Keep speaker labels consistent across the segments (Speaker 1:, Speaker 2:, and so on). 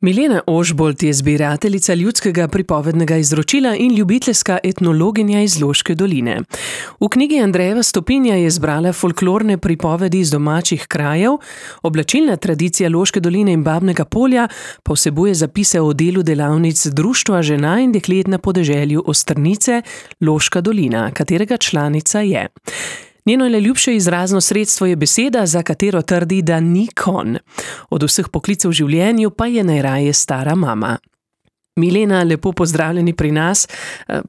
Speaker 1: Milena Ožbolt je zbirateljica ljudskega pripovednega izročila in ljubiteljska etnologinja iz Loške doline. V knjigi Andrejeva Stopinja je zbrala folklorne pripovedi iz domačih krajev, oblačilna tradicija Loške doline in Babnega Polja pa vsebuje zapise o delu delavnic Društva žena in deklet na podeželju Ostrnice, Loška dolina, katerega članica je. Njeno najljubše izrazno sredstvo je beseda, za katero trdi, da ni konj. Od vseh poklicev v življenju pa je najraje stara mama. Milena, lepo pozdravljeni pri nas.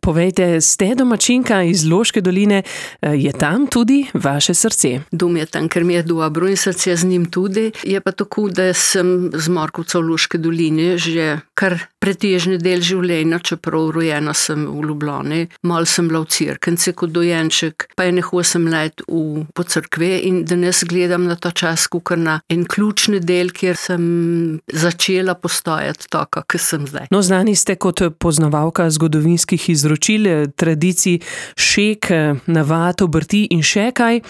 Speaker 1: Povejte, ste domačinka iz Loške doline, je tam tudi vaše srce?
Speaker 2: Dom je tam, ker mi je dobro in srce z njim tudi. Je pa tako, da sem z Markovca v Loške doline že kar pretežni del življenja, čeprav rojena sem v Ljubljani. Malo sem bila v Cerknici kot dojenček, pa je 8 let po cerkve in danes gledam na ta čas kakor na en ključni del, kjer sem začela postajati taka, kot sem zdaj.
Speaker 1: No, znani ste kot poznavalka zgodovinskih izročil, tradicij, šek, navad, obrti in še kaj.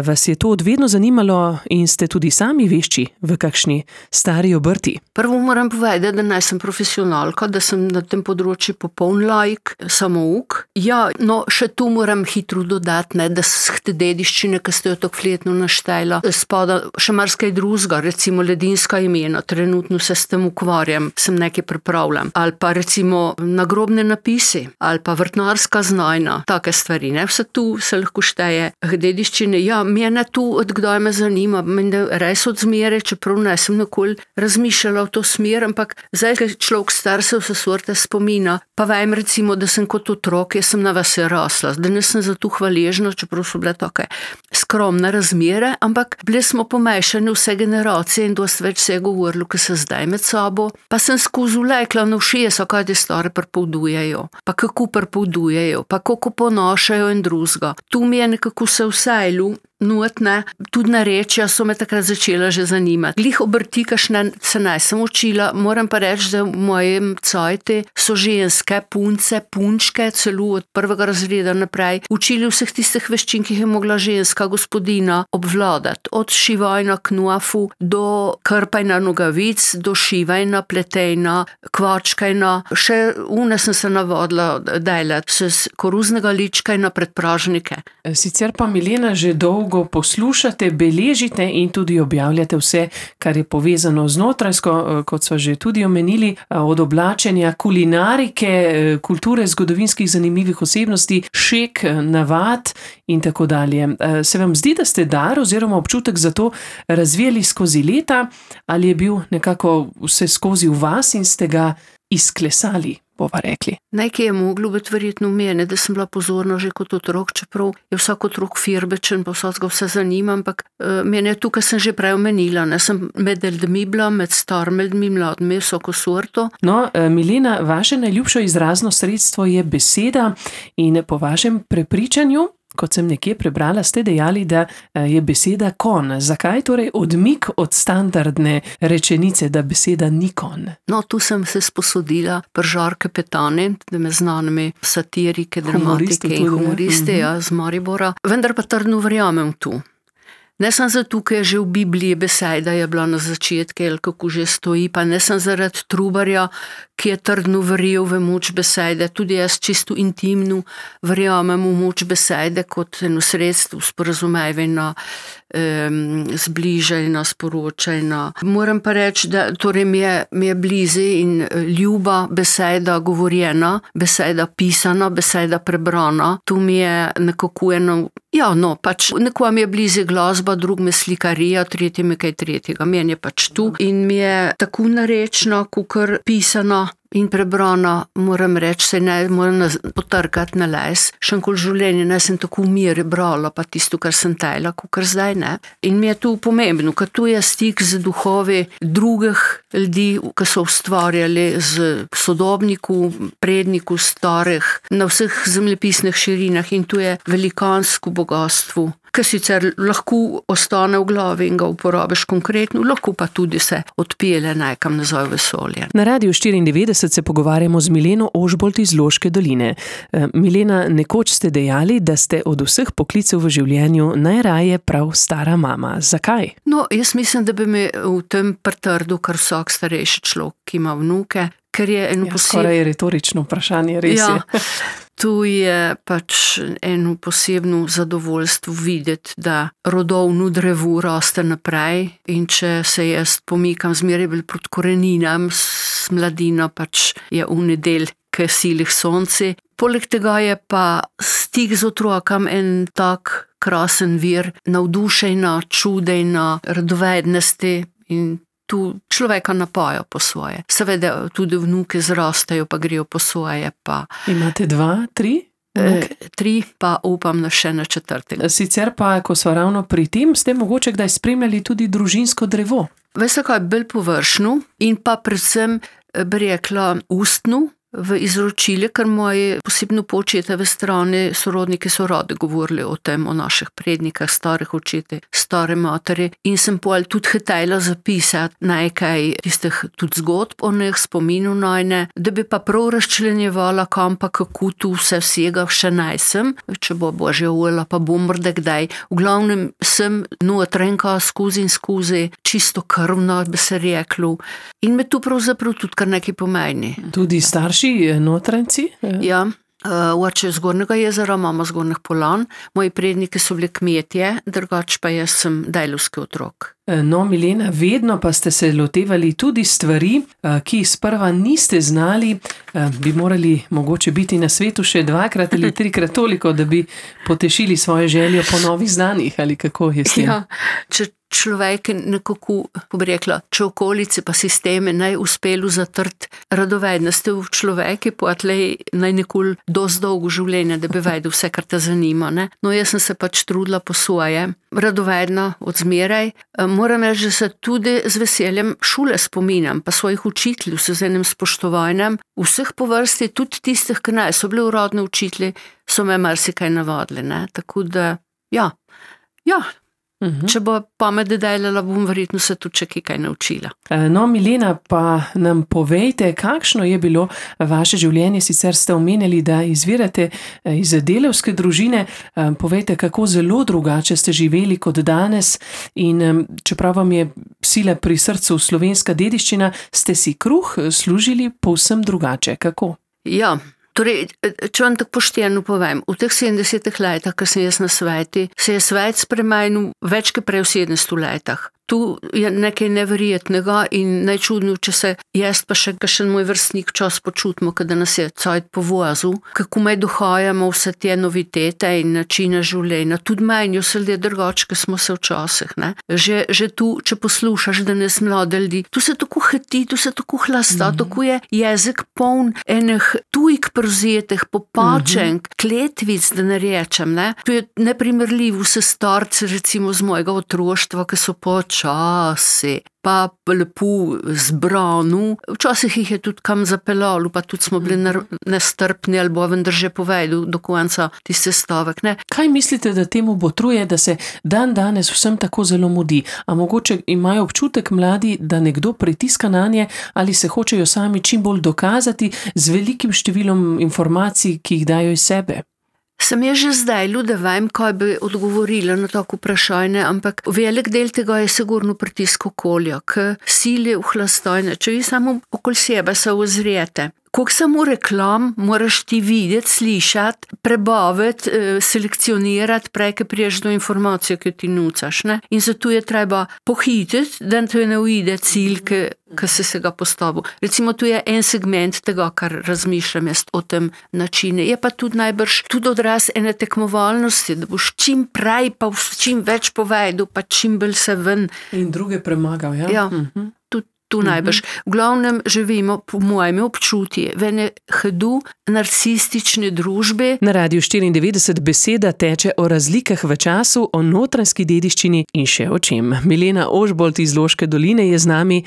Speaker 1: Vas je to od vedno zanimalo in ste tudi sami vešči v kakšni stari obrti?
Speaker 2: Prvo moram povedati, da naj sem profesionalka, da sem na tem področju popoln laik, samouk. Ja, no, še tu moram hitro dodati, da te dediščine, ki ste jo tako fletno naštela, spada še marsikaj drugega, recimo ledinska imena, trenutno se s tem ukvarjam, sem nekaj pripravljam. Ali pa recimo nagrobne napisi, ali pa vrtnarska znajna, take stvari, ne? Vse tu se lahko šteje dediščine. Ja, mene tu odkdaj me zanima, mene res od zmere, čeprav ne sem nikoli razmišljala v to smer, ampak zdaj, ko človek star se vse sorte spomina, pa vem recimo, da sem kot otrok, jaz sem na vasi rasla, danes sem za to hvaležna, čeprav so bile take skromne razmere, ampak bili smo pomešani vse generacije in dosti več se je govorilo, ko se zdaj med sabo, pa sem skozi vlekla na ušesa, kaj te stare pripovedujejo, pa kako pripovedujejo, pa kako ponašajo in drugega. Tu mi je nekako se vsejlu, notne, tudi narečja so me takrat začela že zanimati. Glih obrti, kakšne se nisem učila, moram pa reči, da v mojem cajti so ženske, punce, punčke, celo od 1. razreda naprej, učili vseh tistih veščin, ki jih je mogla ženska gospodina obvladati. Od šivajna knuafu do krpajna nogavic, do šivajna, pletejna, kvačkajna, še une sem se navadila delati s koruznega ličkajna predpražnike.
Speaker 1: Sicer pa, Milena, že dolgo poslušate, beležite in tudi objavljate vse, kar je povezano z notranjsko, kot sva že tudi omenili, od oblačenja, kulinarike, kulture, zgodovinskih zanimivih osebnosti, šek, navad in tako dalje. Se vam zdi, da ste dar oziroma občutek za to razvijali skozi leta, ali je bil nekako vse skozi v vas in ste ga izklesali, bova rekli?
Speaker 2: Nekaj je moglo biti verjetno v mene, da sem bila pozorna že kot otrok, čeprav je vsak otrok firbečen, pa vsega vse zanima, ampak mene je tukaj sem že prej omenila, ne, sem med ljudmi bila, med starimi ljudmi, mladimi, vsako sorto.
Speaker 1: No, Milena, vaše najljubše izrazno sredstvo je beseda in po vašem prepričanju, kot sem nekje prebrala, ste dejali, da je beseda konj. Zakaj torej odmik od standardne rečenice, da beseda ni konj?
Speaker 2: No, tu sem se sposodila pri Žarke Petani, da me znanimi satirike, dramatike in humoriste, ja, z Maribora. Vendar pa trdno verjamem tu. Ne sem zato, ker je že v Bibliji beseda je bila na začetku, ali kako že stoji, pa ne sem zaradi Trubarja, ki je trdno verjel v moč besede, tudi jaz čisto intimno verjamem v moč besede kot eno sredstvo sporazumevanja, zbližanja, sporočanja. Moram pa reči, da torej mi je blizu in ljuba beseda govorjena, beseda pisana, beseda prebrana. Tu mi je nekako eno, ja, no, pač nekom je blizu glasba, drug me slikarija, tretji me kaj tretjega. Meni je pač tu in mi je tako narečna, kakor pisana in prebrana, moram reči, se ne moram potrkati na les. Še enkoli življenje ne sem tako v mir brala, pa tisto, kar sem tajla, kakor zdaj ne. In mi je tu pomembno, ker tu je stik z duhovi drugih ljudi, ki so ustvarjali z sodobniku, predniku starih, na vseh zemljepisnih širinah in tu je velikansko bogatstvo, ki sicer lahko ostane v glavi in ga uporabiš konkretno, lahko pa tudi se odpelje nekam nazaj v vesolje.
Speaker 1: Na Radiu 94 se pogovarjamo z Mileno Ožbolt iz Loške doline. Milena, nekoč ste dejali, da ste od vseh poklicev v življenju najraje prav stara mama. Zakaj?
Speaker 2: No, jaz mislim, da bi me v tem pritrdil kar vsak starejši človek, ki ima vnuke, ker je
Speaker 1: skoraj retorično vprašanje, res je.
Speaker 2: Tu je pač eno posebno zadovoljstvo videti, da rodovno drevo raste naprej in če se jaz pomikam zmeraj bolj proti koreninam, s mladino pač je v nedelj k silih sonce. Poleg tega je pa stik z otrokom en tak krasen vir navdušenja, čudenja, radovednosti in tu človeka napaja po svoje. Seveda tudi vnuke zrastejo, pa grejo po svoje.
Speaker 1: Imate 2, 3?
Speaker 2: 3, pa upam na še na 4.
Speaker 1: Sicer pa, ko so ravno pri tem, ste mogoče kdaj spremljali tudi družinsko drevo?
Speaker 2: Veste kaj, bolj površno in pa predvsem bi rekla ustno v izročilje, ker moje posebno po očetove strani sorodniki so radi govorili o tem, o naših prednikah, starih očetih, stare materi in sem pol tudi hitela zapisati nekaj tistih tudi zgodb o njih, spominov najne, da bi pa prav razčlenjevala, kam pa kako tu vsega še najsem, če bo božja volja, pa bom morda kdaj. V glavnem sem notrenka skozi in skozi, čisto krvno bi se reklo in me tu pravzaprav tudi kar nekaj pomeni.
Speaker 1: Tudi starši notranci?
Speaker 2: Ja, oče z Gornjega jezera, mama z Gornjih Polan, moji predniki so bili kmetje, drugače pa jaz sem dejlovski otrok.
Speaker 1: No, Milena, vedno pa ste se lotevali tudi stvari, ki sprva niste znali, bi morali mogoče biti na svetu še 2 ali 3 toliko, da bi potešili svoje željo po novih znanjih, ali kako je s tem?
Speaker 2: Ja, če človek nekako, ko bi rekla, če okolice pa sisteme naj uspelu zatrt radovednosti v človeki, pa tlej naj nikoli dosti dolgo življenje, da bi vedel vse, kar te zanima. Ne? No, jaz sem se pač trudila po svoje, radovedna od zmeraj. Moram reči, da se tudi z veseljem šole spominjam, pa svojih učiteljev s enim spoštovanjem, vseh po vrsti, tudi tistih, ki naj so bili uradni učitelji, so me marsikaj navadili. Ne? Tako da, ja. Če bo pamet delala, bom verjetno se tudi še kaj naučila.
Speaker 1: No, Milena, pa nam povejte, kakšno je bilo vaše življenje, sicer ste omenili, da izvirate iz delavske družine, povejte, kako zelo drugače ste živeli kot danes in čeprav vam je sila pri srcu slovenska dediščina, ste si kruh služili povsem drugače. Kako?
Speaker 2: Ja. Torej, če vam tako pošteno povem, v teh 70 letih, ko sem jaz na sveti, se je svet spremenil več kot prej v 700 letih. Tu je nekaj neverjetnega in najčudno, če se jaz pa še kakšen moj vrstnik čas počutimo, kada nas je cajt povozil, kako me dohajamo vse te novitete in načine življenja. Tudi menjo se ljudje drugače, kot smo se včasih. Ne? Že tu, če poslušaš danes mlade ljudi, tu se tako hiti, tu se tako hlasta, tako je jezik poln enih tujk prevzetih, popačenk, kletvic, da ne rečem. Ne? Tu je neprimerljivo vse starce, recimo z mojega otroštva, ki so počasi, pa lepo zbranu. Včasih jih je tudi kam zapeljalo, pa tudi smo bili nestrpni, ali bo vendar že povedal do konca tiste stavek. Ne?
Speaker 1: Kaj mislite, da temu botruje, da se dan danes vsem tako zelo mudi? A mogoče imajo občutek mladi, da nekdo pritiska nanje, ali se hočejo sami čim bolj dokazati z velikim številom informacij, ki jih dajo iz sebe?
Speaker 2: Sem je že zdaj, da vem, kaj bi odgovorila na tako vprašanje, ampak velik del tega je sigurno pritisk okolja, k sili v hlastojne. Če vi samo okoli sebe se ozrijete, koliko samo reklam moraš ti videti, slišati, prebaviti, selekcionirati, preke priješ do informacije, ki ti nucaš. Ne? In zato je treba pohititi, da te ne uide cilj, ki si se ga postavil. Recimo, tu je en segment tega, kar razmišljam jaz o tem načine. Je pa tudi najbrž tudi odraz ene tekmovalnosti, da boš čim prej pa čim več povedal, pa čim bolj se ven.
Speaker 1: In druge premagal, ja?
Speaker 2: Ja. Tu najbrž. V glavnem živimo, po mojem občutju, v ene hudo narcistične družbe.
Speaker 1: Na Radiu 94 beseda teče o razlikah v času, o notranjski dediščini in še o čem. Milena Ožbolt iz Loške doline je z nami.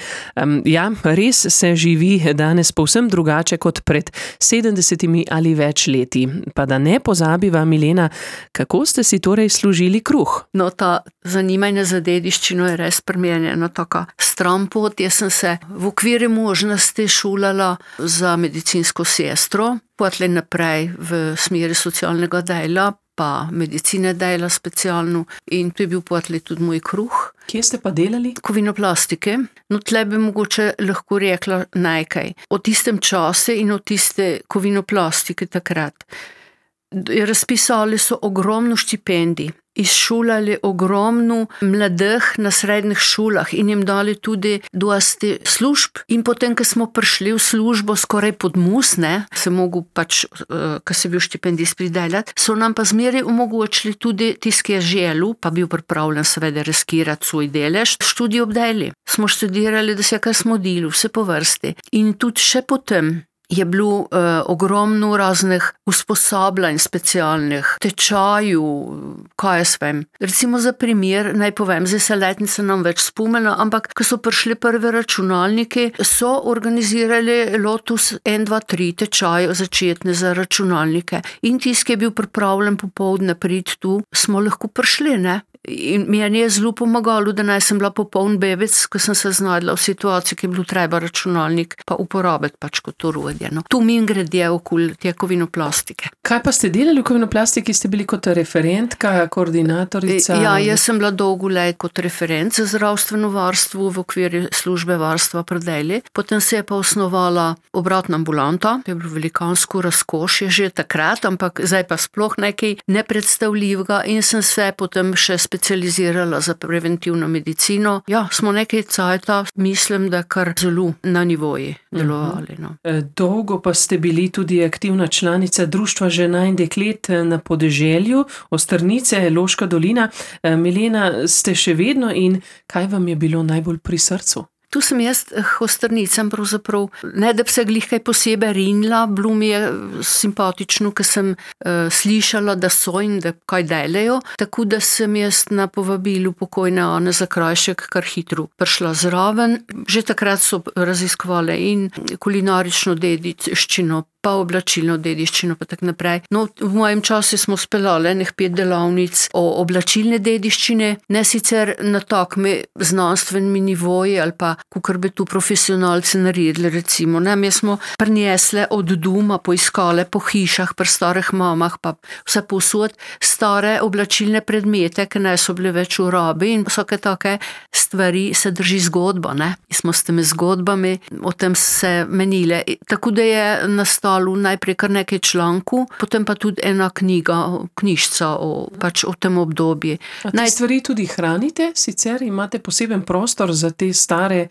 Speaker 1: Res se živi danes povsem drugače kot pred 70 ali več leti. Pa da ne pozabiva, Milena, kako ste si torej služili kruh?
Speaker 2: No, ta zanimanje za dediščino je res pri meni ena taka stran pot. Jaz sem se v okviru možnosti šolala za medicinsko sestro, potem naprej v smeri socialnega dela, pa medicine dela specialno in to je bil potem tudi moj kruh.
Speaker 1: Kje ste pa delali?
Speaker 2: Kovinoplastike. No, tle bi mogoče lahko rekla nekaj o tistem času in o tiste kovinoplastike takrat. Razpisali so ogromno štipendij, izšolali ogromno mladih na srednjih šolah in jim dali tudi dosti služb. In potem, ko smo prišli v službo skoraj pod mus, se mogel pač, ko se bil štipendist pridelati, so nam pa zmeraj omogočili tudi tisti, ki je želel, pa bil pripravljen seveda riskirati svoj delež, študij obdajali. Smo študirali, da se kar smo delali, vse po vrsti. In tudi še potem je bilo ogromno raznih usposabljanj specialnih, tečajev, kaj jaz vem. Recimo za primer, naj povem, zdaj se letnica nam več spomnila, ampak ko so prišli prvi računalniki, so organizirali Lotus 1, 2, 3 tečaje začetne za računalnike. In tisti, ki je bil pripravljen popoldne priti tu, smo lahko prišli, In meni je zelo pomagalo, da naj sem bila popoln bebec, ko sem se znajdla v situaciji, ki je bilo treba računalnik pa uporabiti pač kot orodje. Tu mi gredje okoli te kovinoplastike.
Speaker 1: Kaj pa ste delali v kovinoplastiki? Ste bili kot referentka, koordinatorica?
Speaker 2: Ja, jaz sem bila dolgo let kot referent za zdravstveno varstvo v okviru službe varstva pri deli. Potem se je pa osnovala obratna ambulanta, to je bilo velikansko razkošje že takrat, ampak zdaj pa sploh nekaj nepredstavljivega in sem se potem še specializirala za preventivno medicino. Ja, smo nekaj cajta, mislim, da kar zelo na nivoji delovali.
Speaker 1: Dolgo pa ste bili tudi aktivna članica Društva žena in deklet na podeželju, Ostrnice, Loška dolina. Milena, ste še vedno in kaj vam je bilo najbolj pri srcu?
Speaker 2: Tu sem jaz Ostrnicam pravzaprav, ne da bi se glih kaj posebej rinila, bilo mi je simpatično, ker sem slišala, da so in da kaj delajo, tako da sem jaz na povabilu pokojne Ane Zakrajšek kar hitro prišla zraven. Že takrat so raziskovali in kulinarično dediščino, pa oblačilno dediščino, pa tak naprej. No, v mojem času smo speljali enih 5 delavnic o oblačilne dediščine, ne sicer na takmi znanstvenimi nivoji ali pa kakor bi tu profesionalci naredili, recimo. Mi smo prinesli od doma, poiskali po hišah, pri starih mamah, pa vse povsod stare oblačilne predmete, ki ne so bile več v rabi in vsake take stvari se drži zgodba, In smo s temi zgodbami o tem se menile. Tako da je nastalo najprej kar nekaj člankov, potem pa tudi ena knjižca o tem obdobju.
Speaker 1: Te stvari tudi hranite? Sicer imate poseben prostor za te stare...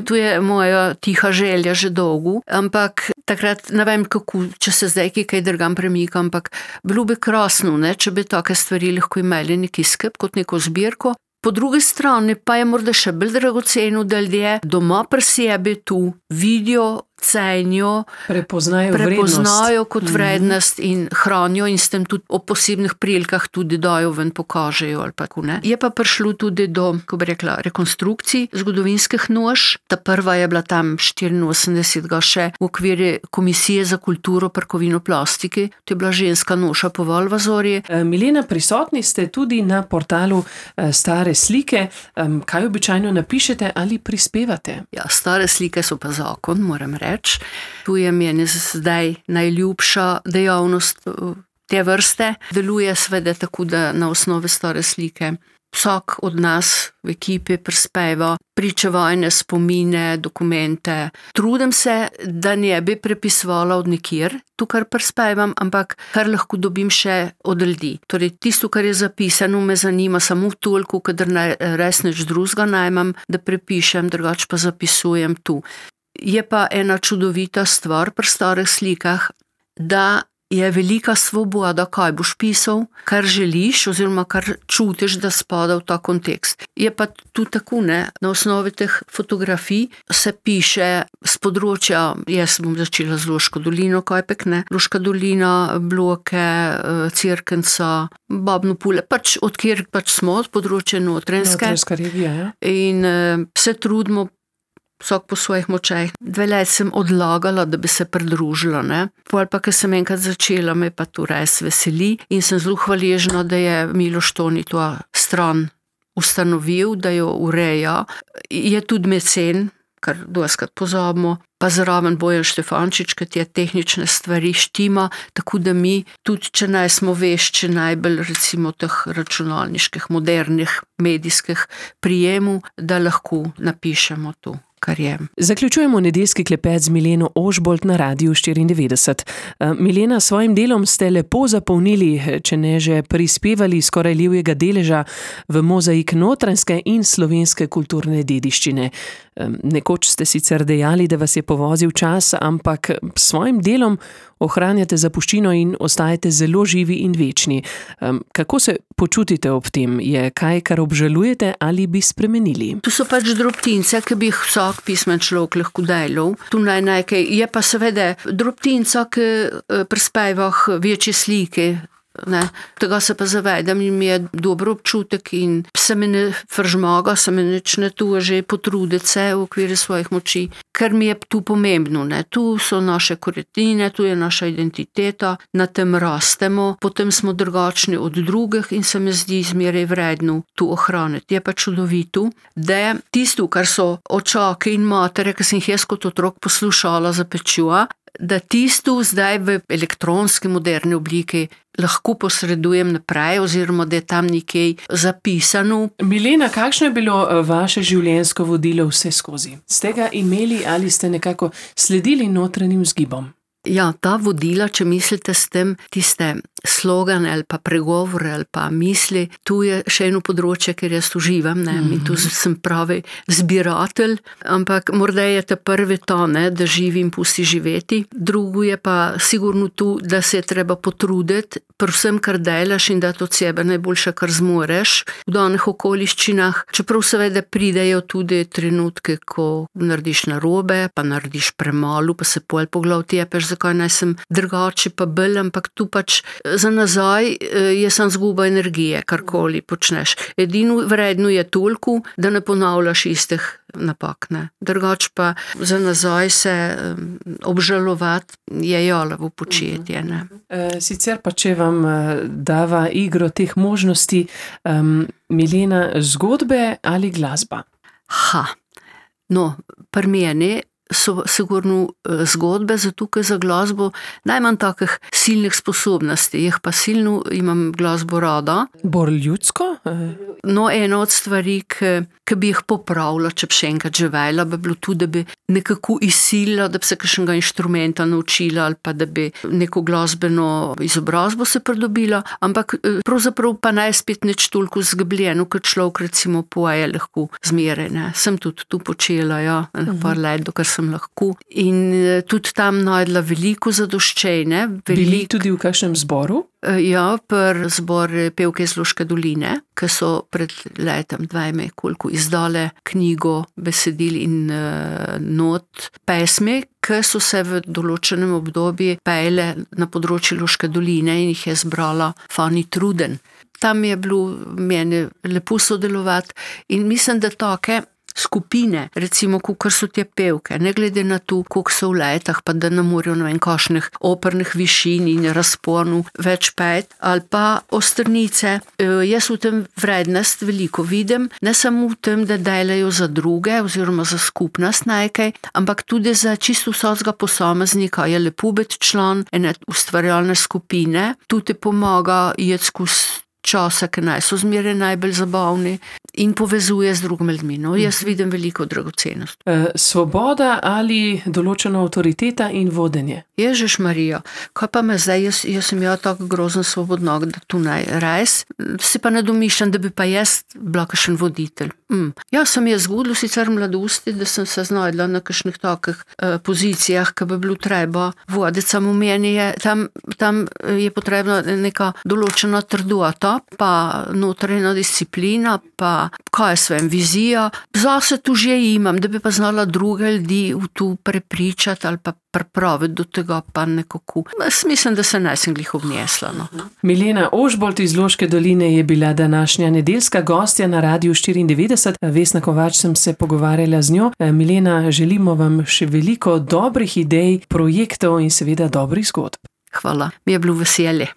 Speaker 2: Tu je moja tiha želja že dolgo, ampak takrat ne vem kako, če se zdaj kaj drugam premika, ampak bilo bi krasno, če bi take stvari lahko imeli neki sklep kot neko zbirko. Po drugi strani pa je morda še bolj dragoceno, da ljudje doma pri sebi tu vidijo, cenijo, prepoznajo kot vrednost in hranijo in s tem tudi o posebnih prilikah tudi dajo ven, pokažejo ali pa ne. Je pa prišlo tudi do, ko bi rekla, rekonstrukcij zgodovinskih noš. Ta prva je bila tam 84 še v okviru Komisije za kulturo pri kovinoplastiki. To je bila ženska noša po Valvazorji.
Speaker 1: Milena, prisotni ste tudi na portalu Stare slike. Kaj običajno napišete ali prispevate?
Speaker 2: Ja, stare slike so pa zakon, moram reči. Tu je meni zdaj najljubša dejavnost te vrste. Deluje seveda tako, da na osnovi stare slike vsak od nas v ekipi prispeva pričevajne spomine, dokumente. Trudim se, da ne bi prepisovala od nikjer, to, kar prispevam, ampak kar lahko dobim še od ljudi. Torej, tisto, kar je zapisano, me zanima samo toliko, kadar res nič drugega najmam, da prepišem, drugače pa zapisujem tu. Je pa ena čudovita stvar pri starih slikah, da je velika svoboda, kaj boš pisal, kar želiš oziroma kar čutiš, da spada v ta kontekst. Je pa tudi tako, ne? Na osnovi teh fotografij se piše z področja, jaz bom začela z Loško dolino, Kajpek, ne? Loška dolina, Bloke, Cerknica, Babno Pule, odkjer smo, od področja Notranjske.
Speaker 1: Notranjska regija, ja.
Speaker 2: In se trudimo vsak po svojih močeh. 2 let sem odlagala, da bi se pridružila, ne. Pol pa, ko sem enkrat začela, me pa to res veseli in sem zelo hvaležna, da je Miloš Toni to stran ustanovil, da jo ureja. Je tudi mecen, kar dostikrat pozabimo, pa zraven Bojan Štefančič, ki ti je tehnične stvari štima, tako da mi, tudi če nismo vešči najbolj recimo teh računalniških, modernih, medijskih prijemov, da lahko napišemo to, kar je.
Speaker 1: Zaključujemo nedeljski klepet z Mileno Ožbolt na Radiu 94. Milena, s svojim delom ste lepo zapolnili, če ne že prispevali skoraj levjega deleža v mozaik notranjske in slovenske kulturne dediščine. Nekoč ste sicer dejali, da vas je povozil čas, ampak s svojim delom ohranjate zapuščino in ostajate zelo živi in večni. Kako se počutite ob tem? Je kaj, kar obžalujete ali bi spremenili?
Speaker 2: Tu so drobtince, ki bi jih vsak pismen človek lahko delal. Tu nekaj, je pa seveda drobtinca, ki prispeva večje slike. Ne. Tega se pa zavedam in mi je dober občutek in se me ne fržmaga, se me nič ne že potruditi se v okviru svojih moči, ker mi je tu pomembno. Ne. Tu so naše korenine, tu je naša identiteta, na tem rastemo, potem smo drugačni od drugih in se mi zdi zmeraj vredno tu ohraniti. Je pa čudovito, da tisto, kar so očake in matere, ki sem jih jaz kot otrok poslušala za pečjo, da tisto zdaj v elektronski moderni obliki lahko posredujem naprej oziroma da je tam nekaj zapisano.
Speaker 1: Milena, kakšno je bilo vaše življenjsko vodilo vse skozi? Ste ga imeli ali ste nekako sledili notranjim vzgibom?
Speaker 2: Ja, ta vodila, če mislite s tem tiste slogane ali pa pregovore ali pa misli, tu je še eno področje, ker jaz uživam, ne, mi tu sem pravi zbiratelj, ampak morda je ta prvi to, ne, da živim, pusti živeti, drugo je pa sigurno tu, da se je treba potruditi, predvsem kar delaš in da to od sebe najboljše, kar zmoreš v danih okoliščinah, čeprav seveda pridejo tudi trenutke, ko narediš narobe, pa narediš premalo, pa se pol po glav tepeš, zakaj naj sem drugače pa bolj, ampak tu za nazaj je samo zguba energije, karkoli počneš. Edino vredno je toliko, da ne ponavljaš istih napak, ne. Drugače pa za nazaj se obžalovati je jalovo početje, ne.
Speaker 1: Sicer pa, če vam dava igro teh možnosti, Milena, zgodbe ali glasba?
Speaker 2: Pri meni so sigurno zgodbe, zato ker za glasbo najmanj takih silnih sposobnosti, jih pa silno imam glasbo rada.
Speaker 1: Bolj ljudsko?
Speaker 2: Ena od stvari, ki bi jih popravila, če bi še enkrat živela, bi bilo tudi, da bi nekako izsilila, da bi se kakšnega inštrumenta naučila ali pa da bi neko glasbeno izobrazbo se pridobila, ampak pravzaprav pa naj spet nič toliko zgubljeno, kot človek recimo poje lahko zmeraj, ne. Sem tudi tu počela, par let, dokar sem lahko. In tudi tam najdla veliko zadoščenja.
Speaker 1: Bili tudi v kakšnem zboru?
Speaker 2: Ja, pri zbor pevke iz Loške doline, ki so pred letom 2 koliko izdale knjigo besedil in not pesmi, ki so se v določenem obdobju pele na področju Loške doline in jih je zbrala Fani Truden. Tam je bilo meni lepo sodelovati in mislim, da take skupine, recimo, kakor so te pevke, ne glede na to, koliko so v letah, pa da ne morajo na kakšnih opernih višin in razponu več pet, ali pa ostrnice. Jaz v tem vrednost veliko vidim, ne samo v tem, da delajo za druge oziroma za skupnost nekaj, ampak tudi za čisto vsakega posameznika je lepo biti član ene ustvarjalne skupine, tudi pomaga iti skozi časa, ki naj so zmeraj najbolj zabavni in povezuje z drugimi ljudmi. No, jaz vidim veliko dragocenost.
Speaker 1: Svoboda ali določena avtoriteta in vodenje?
Speaker 2: Ježiš Marija, kaj pa me zdaj, jaz sem tako grozen svobodnog, da tu naj res, si pa ne domišljam, da bi pa jaz bila kakšen voditelj. Ja, sem jaz zgodila sicer v mladosti, da sem se znajdla na kakšnih takih pozicijah, ki bi bilo treba voditi, samo meni je, tam je potrebna neka določena trdota, pa notranja disciplina, pa kaj je vizija. Zase tu že imam, da bi pa znala druge ljudi v tu prepričati ali pa pripraviti do tega pa nekako. Mislim, da se nisem glih obnesla. No.
Speaker 1: Milena Ožbolt iz Loške doline je bila današnja nedeljska gostja na Radiu 94. Vesna Kovač sem se pogovarjala z njo. Milena, želimo vam še veliko dobrih idej, projektov in seveda dobrih zgodb.
Speaker 2: Hvala, mi je bilo veselje.